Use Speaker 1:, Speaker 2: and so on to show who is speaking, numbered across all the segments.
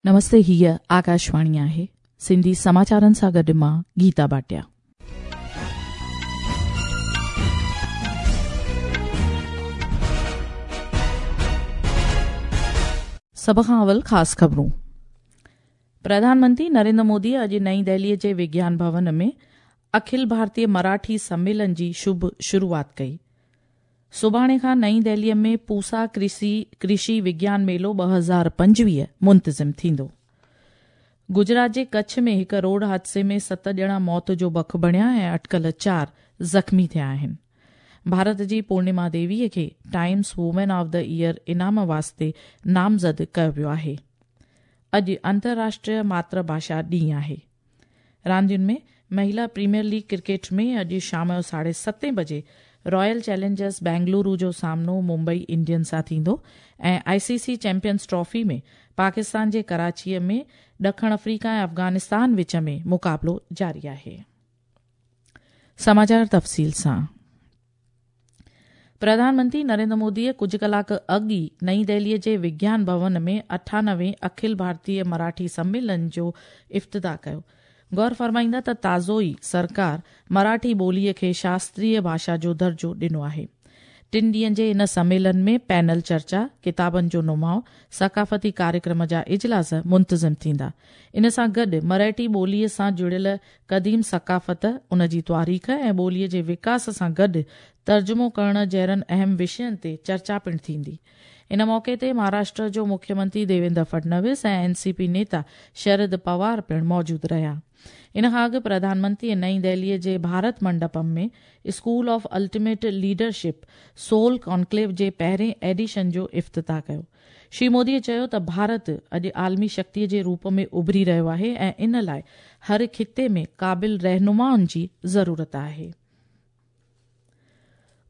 Speaker 1: نمستي هيء آڪاشواڻي آهي سنڌي سماچارن سان گڏ مان گيتا ڀاٽيا. سڀ کان اول خاص خبرون. پرڌان منتري نريندر مودي اڄ نئين دهلي جي وگيان ڀون ۾ اکل ڀارتيه مراٺي سميلن جي شڀ شروعات ڪئي. سڀاڻي کان نئين دهليء ۾ پوسا ڪرشي ڪرشي وگيان ميلو 2025 منتظم ٿيندو. گجرات جي ڪڇ ۾ هڪ روڊ حادثي ۾ ست ڄڻا موت جو بک بڻيا ۽ اٽڪل چار زخمي ٿيا آهن. ڀارت جي پورنما ديويء کي Times woman of the year انعام واسطي نامزد ڪيو ويو آهي. اڄ انترراشٽريه ماتر ڀاشا ڏينهن آهي. راندين ۾ مهلا پريميئر ليگ ڪرڪيٽ ۾ اڄ شام جو ساڍي ستين بجي رائل چئلينجرز بينگلورو جو سامنو ممبئي انڊينز سان ٿيندو ۽ I C C champions trophy ۾ Pakistan جي ڪراچيء ۾ ڏکڻ آفريڪا ۽ افغانستان وچ ۾ مقابلو جاري آهي. سماچار تفصيل سان پرڌان منتري نريندر موديء ڪجهه ڪلاڪ اڳ ئي نئين دهليء جي وگيان ڀون ۾ اٺانوي اکل ڀارتيه مراٺي سميلن جو افتتاح ڪيو. غور فرمائيندا ته تازو ئي سرڪار مراٺي ٻوليء کي شاستريه ڀاشا جو درجو ڏنو آهي. ٽن ڏينهن جي ان سميلن ۾ پينل چرچا، ڪتابن جو نماء، ثقافتي ڪاريڪرم جا اجلاس منتظم ٿيندا. ان سان گڏ مرهٽي ٻوليء سان جڙيل قديم ثقافت، ان جي تواريخ ۽ ٻوليء جي وڪاس سان گڏ ترجمو ڪرڻ جهڙن اهم وشين تي چرچا پڻ ٿيندي. ان موقعي تي مهاراشٽر جو مکيمنتري ديويندر فڊنويس ۽ اين سي پي نيتا شرد پوار پڻ موجود رهيا. ان کان اڳ پرڌان منتريء نئين دهليء جي Bharat Mandapam ۾ school of ultimate leadership soul conclave جي پهرين ايڊيشن جو افتتاح ڪيو. شري موديء چيو ته ڀارت اڄ عالمي شڪتيء جي روپ ۾ اڀري رهيو آهي ۽ ان لاء هر خطي ۾ قابل رهنمائن جي ضرورت آهي.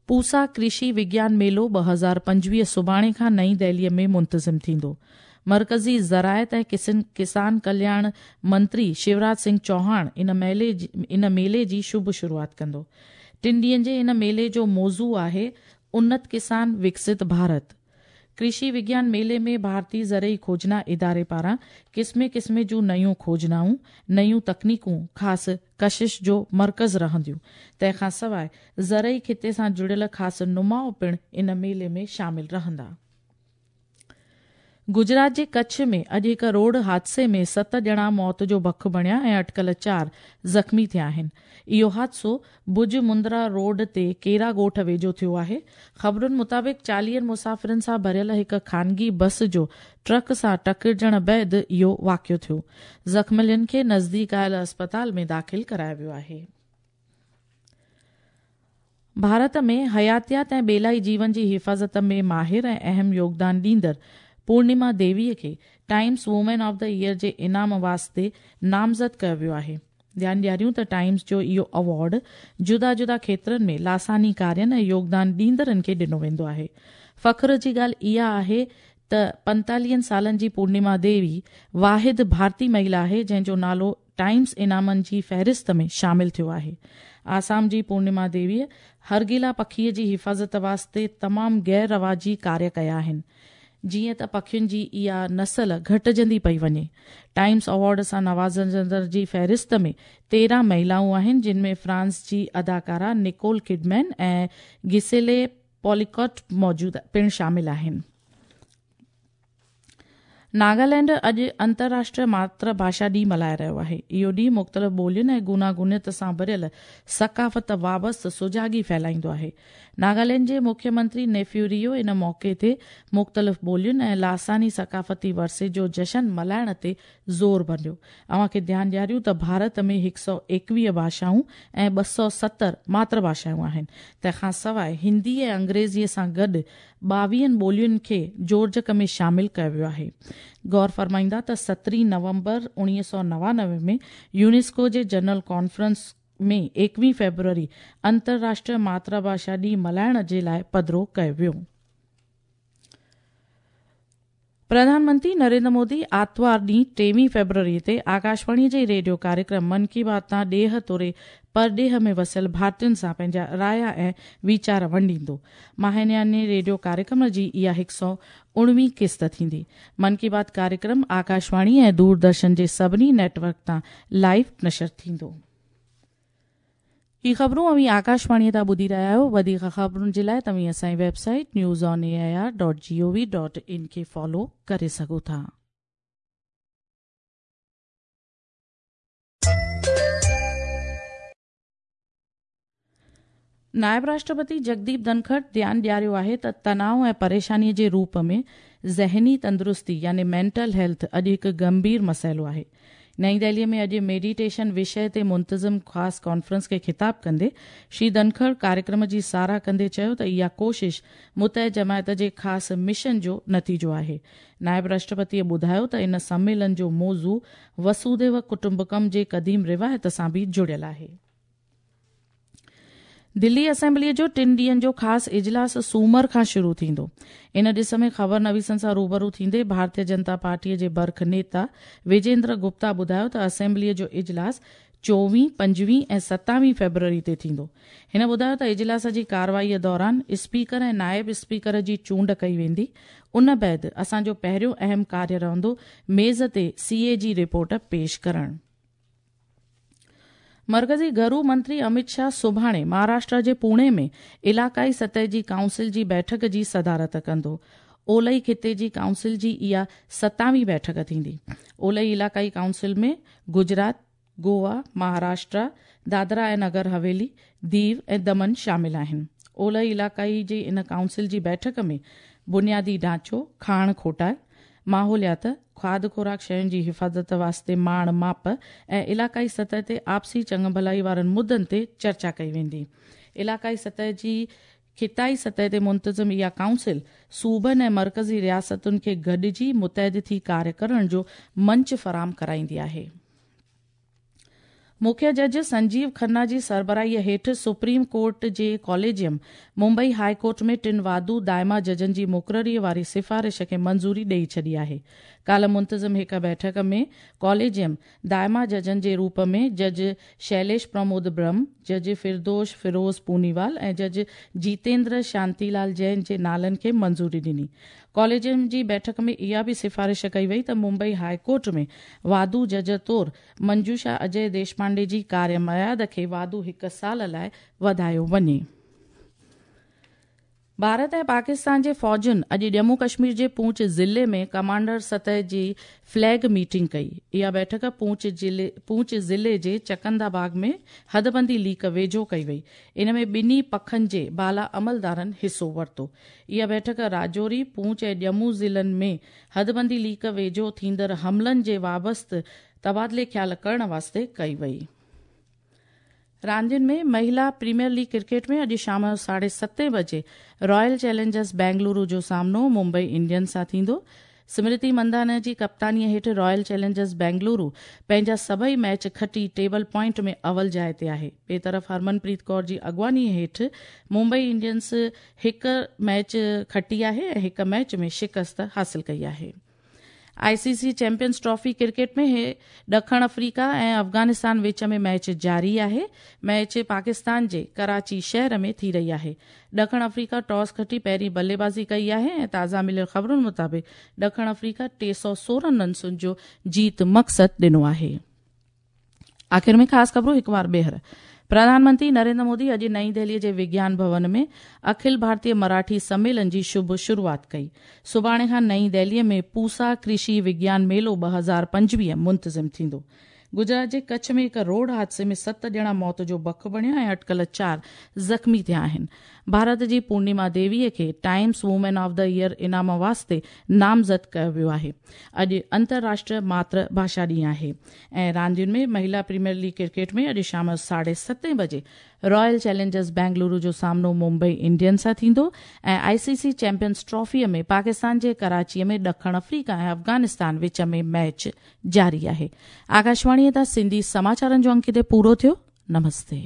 Speaker 1: پوسا ڪرشي وگيان ميلو 2025 سڀاڻي کان نئين دهليء ۾ منتظم ٿيندو. مرڪزي زراعت ۽ ڪسان ڪلياڻ منتري شيوراج سنگهه چوهاڻ ان ميلي جي شڀ شروعات ڪندو. ٽن ڏينهن جي ان ميلي جو موضوع آهي انت ڪسان وڪست ڀارت. ڪرشي وگيان ميلي ۾ ڀارتي زرعي کوجنا اداري پاران قسمين قسمين جون نيون کوجنائون، نيون تڪنيڪون خاص ڪشش جو مرڪز رهنديون. تنهن کان سواء زرعي خطي سان جڙيل خاص نماء پڻ ان ميلي ۾ شامل رهندا. گجرات جي ڪڇ ۾ اڄ هڪ روڊ حادثي ۾ ست ڄڻا موت جو بک بڻيا ۽ اٽڪل چار زخمي ٿيا آهن. اهو حادثو ڀڄ مندرا روڊ تي ڪيرا ڳوٺ ويجهو ٿيو آهي. خبرن مطابق چاليهن مسافرن سان ڀريل هڪ خانگي بس جو ٽرڪ سان ٽڪرجڻ بعد اهو واقعو ٿيو. زخمين کي نزديڪ آيل اسپتال ۾ داخل ڪرايو ويو آهي. ڀارت ۾ حياتيات ۽ ٻيلائي جيون جي حفاظت ۾ ماهر ۽ اهم يوگدان ڏيندڙ پورنما ديويء کي Times woman of the year جي انعام واسطي نامزد ڪيو ويو آهي. ڌيان ڏياريون ته ٽائيمز جو اهو ايوارڊ جدا جدا کيترن ۾ لاثاني ڪارين ۽ يوگدان ڏيندڙن کي ڏنو ويندو آهي. فخر جي ڳالهه اها آهي ته پنتاليهن سالن جي پورنما ديوي واحد ڀارتي مهيلا آهي جنهن جو نالو ٽائيمز انعامن جي فهرست ۾ شامل ٿيو آهي. آسام جي پورنما ديويء هرگيلا پکيء جي حفاظت واسطي تمام غير رواجي ڪاريه ڪيا آهن. جيئن ته پکين جي اها نسل گهٽجندي پئي وڃي. ٽائيمز ايوارڊ سان نوازجندڙ جي فهرست ۾ 13 مهيلائون آهن جن ۾ فرانس جي اداڪارا نڪول ڪڊمين ۽ گسيلي پوليڪوٽ موجود پڻ شامل آهن. ناگالينڊ اڄ انترراشٽريه ماتر ڀاشا ڏينهن ملهائي رهيو آهي. اهو ڏينهن مختلف ٻولين ۽ گوناگونيت سان ڀريل ثقافت وابسته سجاڳي ڦهلائيندو آهي. ناگالينڊ جي مکيه منتري نيفيو ريو ان موقعي تي مختلف ٻولين ۽ لاثاني ثقافتي ورثي جو جشن ملهائڻ تي زور ڀريو. اوهان کي ڌيان ڏياريون ته ڀارت ۾ 121 ڀاشائون ۽ 270 ماتر ڀاشائون آهن. تنهن کان سواء هندي ۽ انگريزيء سان گڏ ٻاويهن ٻولين کي جوڙجڪ ۾ شامل ڪيو ويو آهي. غور فرمائيندا ته سترهين نومبر 1999 ۾ يونيسڪو جي جنرل ڪانفرنس ۾ ايڪويهين فيبروري انترراشٽريه ماتر ڀاشا ڏينهن ملهائڻ جي لاء پڌرو ڪيو ويو. پرڌان منتري نريندر مودي آتوار ڏينهن 23 فيبروري تي آڪاشواڻي جي ريڊيو ڪاريڪرم من ڪي بات تان ڏيهه توڙي پرڏيهه ۾ وسيل ڀارتين سان پنهنجا رايا ۽ ويچار ونڊيندو. ماهياني ريڊيو ڪاريڪرم جي اها 119 قسط ٿيندي. من ڪي بات ڪاريڪرم آڪاشواڻي ۽ دوردرشن جي سڀني نيٽ ورڪ تان لائيو نشر ٿيندو. هي خبرون اوهين آڪاشواڻيء تان ٻڌي رهيا آهيو. وڌيڪ خبرن جي لاء توهين اسان جي website news on A I R dot G O V dot in کي فالو ڪري سگهو ٿا. نائب راشٽرپتي جگديپ ڌنکڙ ڌيان ڏياريو آهي ته تناء ۽ پريشاني جي روپ ۾ ذهني تندرستي يعني مينٽل هيلٿ اڄ هڪ گنڀير مسئلو آهي. نئين دهلي ۾ اڄ ميڊيٽيشن وشيه تي منتظم خاص ڪانفرنس کي خطاب ڪندي شري ڌنکڙ ڪاريڪرم جي ساراهه ڪندي چيو ته اها ڪوشش متحد جماعت جي خاص مشن جو نتيجو آهي. نائب راشٽرپتيء ٻڌايو ته ان سميلن جو موضوع وسوديو ڪٽنبڪم جي قديم روايت سان به جڙيل آهي. دلي اسيمبليء جو ٽن ڏينهن جو خاص اجلاس سومر کان شروع ٿيندو. ان ڏس ۾ خبر نويسن سان روبرو ٿيندي ڀارتيه جنتا پارٽيء جي برک نيتا وجيندر گپتا ٻڌايو ته اسيمبليء جو اجلاس چوويهين، پنجويهين ۽ ستاويهين فيبروري تي ٿيندو. هن ٻڌايو ته اجلاس جي ڪارروائيء دوران اسپيڪر ۽ نائب اسپيڪر جي چونڊ ڪئي ويندي. ان بعد اسان جو پهريون اهم ڪاريه رهندو ميز تي سي اي جي رپورٽ پيش ڪرڻ. مرڪزي گهرو منتري امت شاهه سڀاڻي مهاراشٽرا جي پوڻي ۾ علائقائي سطح جي ڪائونسل جي بيٺڪ جي صدارت ڪندو. اولهي خطي جي ڪائونسل جي اها ستاويهين بيٺڪ ٿيندي. اولهي علائقائي ڪائونسل ۾ گجرات، گوا، مهاراشٽرا، دادرا ۽ نگر حويلي، ديو ۽ دمن شامل آهن. اولهي علائقائي جي ان ڪائونسل جي بيٺڪ ۾ بنيادي ڍانچو، کاڻ کوٽائي، ماحوليات، کاڌ خوراڪ شين جي حفاظت واسطي ماڻ ماپ ۽ علائقائي سطح تي آپسي چڱ ڀلائي وارن مدن تي چرچا ڪئي ويندي. علائقائي سطح جي خطائي سطح تي منتظم اها ڪائونسل صوبن ۽ مرڪزي رياستن کي گڏجي متحد ٿي ڪاريه ڪرڻ جو منچ فراهم ڪرائيندي آهي. مکيه جج سنجيو کنا جي سربراهيء هيٺ سپريم ڪورٽ جي ڪاليجيم ممبئي هاء ڪورٽ ۾ ٽن واڌو دائما ججن جي مقرريء واري سفارش کي منظوري ڏئي ڇڏي آهي. ڪالهه منتظم هڪ بيٺڪ ۾ ڪاليجيم دائما ججن جي روپ ۾ جج شيليش پرمود برهم، جج فردوش فيروز پونيوال ۽ جج جيتيندر شانتي لال جين جي نالن کي منظوري ڏني. ڪاليجيم جي بيٺڪ ۾ اها به سفارش ڪئي وئي ته ممبئي هاء ڪورٽ ۾ واڌو جج طور منجوشا اجي ديشپانڊي جي ڪاريه ميعاد کي واڌو هڪ سال لاء وڌايو وڃي. ڀارت ۽ پاڪستان جي فوجن اڄ ڄمون ڪشمير جي پونچ ضلعي ۾ ڪمانڊر سطح جي فليگ ميٽنگ ڪئي. اها بيٺڪ پونچ ضلعي جي چڪندا باغ ۾ حدبندي ليڪ ويجهو ڪئي وئي. ان ۾ ٻنهي پکن جي بالا عملدارن حصو ورتو. اها بيٺڪ راجوري، پونچ ۽ ڄمون ضلعن ۾ حدبندي ليڪ ويجهو ٿيندڙ حملن جي وابسته تبادلي خيال ڪرڻ واسطي ڪئي وئي. راندين ۾ مهلا پريميئر ليگ ڪرڪيٽ ۾ اڄ شام جو ساڍي ستين بجي رائل چئلينجرز بينگلورو جو سامنو ممبئي انڊينز سان ٿيندو. سمرتي مندانا جي ڪپتانيء هيٺ رائل چئلينجرز بينگلورو پنهنجا سڀئي ميچ کٽي ٽيبل پوائنٽ ۾ اول جاء تي آهي. ٻئي طرف هرمن پريت ڪور جي اڳواڻيء هيٺ ممبئي انڊينز هڪ ميچ کٽي آهي ۽ هڪ ميچ ۾ شڪست حاصل ڪئي آهي. I C C champions trophy cricket ۾ ڏکڻ آفريڪا ۽ افغانستان وچ ۾ ميچ جاري آهي. ميچ پاڪستان جي ڪراچي شهر ۾ ٿي رهي آهي. ڏکڻ آفريڪا ٽاس کٽي پهرين بلي بازي ڪئي آهي ۽ تازا مليل خبرن مطابق ڏکڻ آفريڪا 316 رنسن جو جيت مقصد ڏنو آهي. آخر ۾ خاص خبرون هڪ وار ٻيهر. پرڌان منتري نريندر مودي اڄ نئين دهلي جي وگيان ڀون ۾ اکل ڀارتيه مراٺي سميلن جي شڀ شروعات ڪئي. سڀاڻي کان نئين دهلي ۾ پوسا ڪرشي وگيان ميلو 2025 منتظم ٿيندو. گجرات جي ڪڇ ۾ هڪ روڊ حادثي ۾ ست ڄڻا موت جو بک بڻيا ۽ اٽڪل چار زخمي ٿيا آهن. ڀارت جي پورنيما ديوي کي Times woman of the year انعام واسطي نامزد ڪيو ويو آهي. اڄ انترراشٽريه ماتر ڀاشا ڏينهن آهي ۽ راندين ۾ مهلا پريميئر ليگ ڪرڪيٽ ۾ اڄ شام جو ساڍي ستين بجي رائل چئلينجرز بينگلورو جو سامنو ممبئي انڊينز سان ٿيندو ۽ آء سي سي چيمپيئنز ٽرافي ۾ پاڪستان جي ڪراچي ۾ ڏکڻ آفريڪا ۽ افغانستان وچ ۾ ميچ جاري آهي. آڪاشواڻي تان سنڌي سماچارن جو انڪ هتي پورو ٿيو. نمستي.